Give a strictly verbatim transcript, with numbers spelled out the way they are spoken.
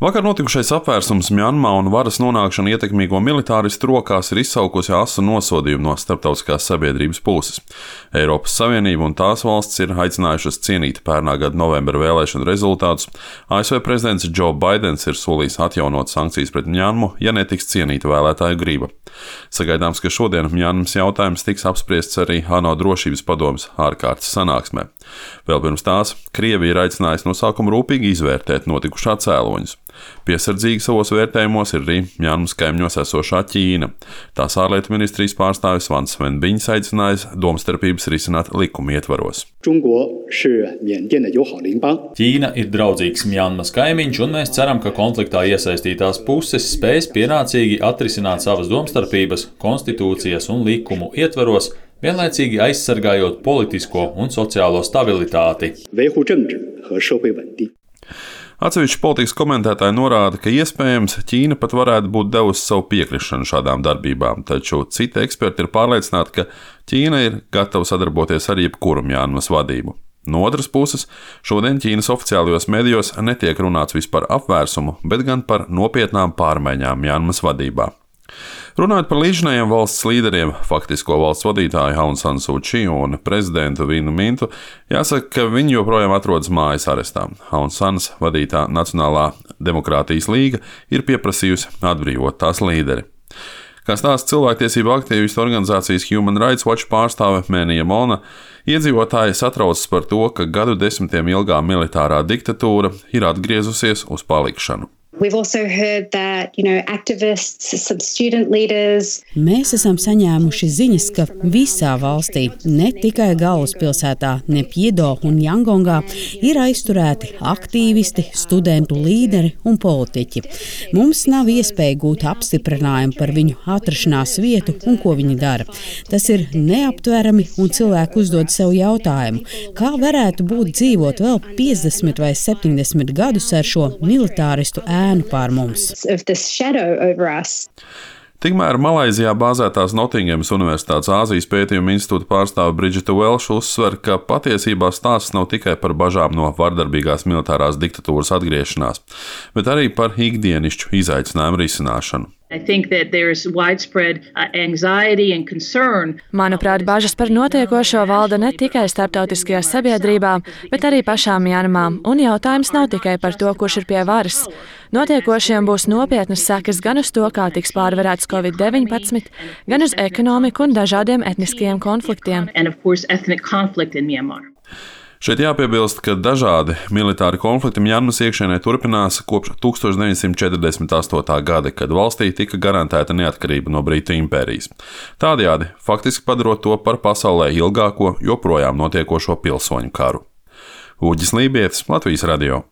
Vakar notikušais apvērsums Mjanmā un varas nonākšana ietekmīgo militāristu rokās ir izsaukusi asu nosodījumu no starptautiskās sabiedrības puses. Eiropas Savienība un tās valsts ir aicinājušas cienīt pērnā gada novembra vēlēšanu rezultātus. A S V prezidents Joe Baidens ir solījis atjaunot sankcijas pret Mjanmu, ja netiks cienīta vēlētāju griba. Sagaidāms, ka šodien Mjanmas jautājums tiks apspriests arī ANO drošības padomes ārkārtas sanāksmē. Vēl pirms tās Krievija ir aicinājusi no sākuma rūpīgi izvērtēt notikušā cēloņus. Piesardzīgi savos vērtējumos ir arī Mjanmas kaimiņos esošā Ķīna. Tās ārlietu ministrijas pārstāvis Vans Svenbiņš aicinājis domstarpības risināt likuma ietvaros. Ķīna ir draudzīgs Mjanmas kaimiņš, un mēs ceram, ka konfliktā iesaistītās puses spēs pienācīgi atrisināt savas domstarpības, konstitūcijas un likumu ietvaros, vienlaicīgi aizsargājot politisko un sociālo stabilitāti. Atsevišķi politikas komentētāji norāda, ka iespējams Ķīna pat varētu būt devusi savu piekrišanu šādām darbībām, taču citi eksperti ir pārliecināti, ka Ķīna ir gatava sadarboties ar jebkuru Mjanmas vadību. No otras puses, šodien Ķīnas oficiālajos medijos netiek runāts vispār par apvērsumu, bet gan par nopietnām pārmaiņām Mjanmas vadībā. Runājot par līdzinājiem valsts līderiem, faktisko valsts vadītāju Aung San Suu Kyi un prezidentu Vinu Mintu, jāsaka, ka viņi joprojām atrodas mājas arestā. Aung Sans vadītā Nacionālā demokrātijas līga ir pieprasījusi atbrīvot tās līderi. Kā stāsta cilvēktiesību aktīvistu organizācijas Human Rights Watch pārstāve Mēnija Mona, iedzīvotāji satraucas par to, ka gadu desmitiem ilgā militārā diktatūra ir atgriezusies uz palikšanu. That, you know, leaders... Mēs esam saņēmuši ziņas, ka visā valstī, ne tikai galvaspilsētā, Nepjedo un Jangongā, ir aizturēti aktīvisti, studentu līderi un politiķi. Mums nav iespēja gūt apstiprinājumu par viņu atrašanās vietu un ko viņi dara. Tas ir neaptverami, un cilvēki uzdod sev jautājumu, kā varētu būt dzīvot vēl piecdesmit vai septiņdesmit gadus ar šo militāristu ēnu pār mums. Tikmēr Malaizijā bāzētās Notingemas Universitātes Āzijas pētījuma institūta pārstāve Bridžita Velša uzsver, ka patiesībā stāsts nav tikai par bažām no vardarbīgās militārās diktatūras atgriešanās, bet arī par ikdienišķu izaicinājumu risināšanu. Manuprāt, bažas par notiekošo valda ne tikai starptautiskajā sabiedrībā, bet arī pašām Mjanmā, un jautājums nav tikai par to, kurš ir pie varas. Notiekošiem būs nopietnas sekas gan uz to, kā tiks pārvarēts covid deviņpadsmit, gan uz ekonomiku un dažādiem etniskajiem konfliktiem. Šeit jāpiebilst, ka dažādi militāri konflikti Mjanmas iekšienē turpinās kopš tūkstoš deviņsimt četrdesmit astotā gada, kad valstī tika garantēta neatkarība no Britu impērijas. Tādējādi faktiski padarot to par pasaulē ilgāko, joprojām notiekošo pilsoņu karu. Uģis Lībietis, Latvijas radio.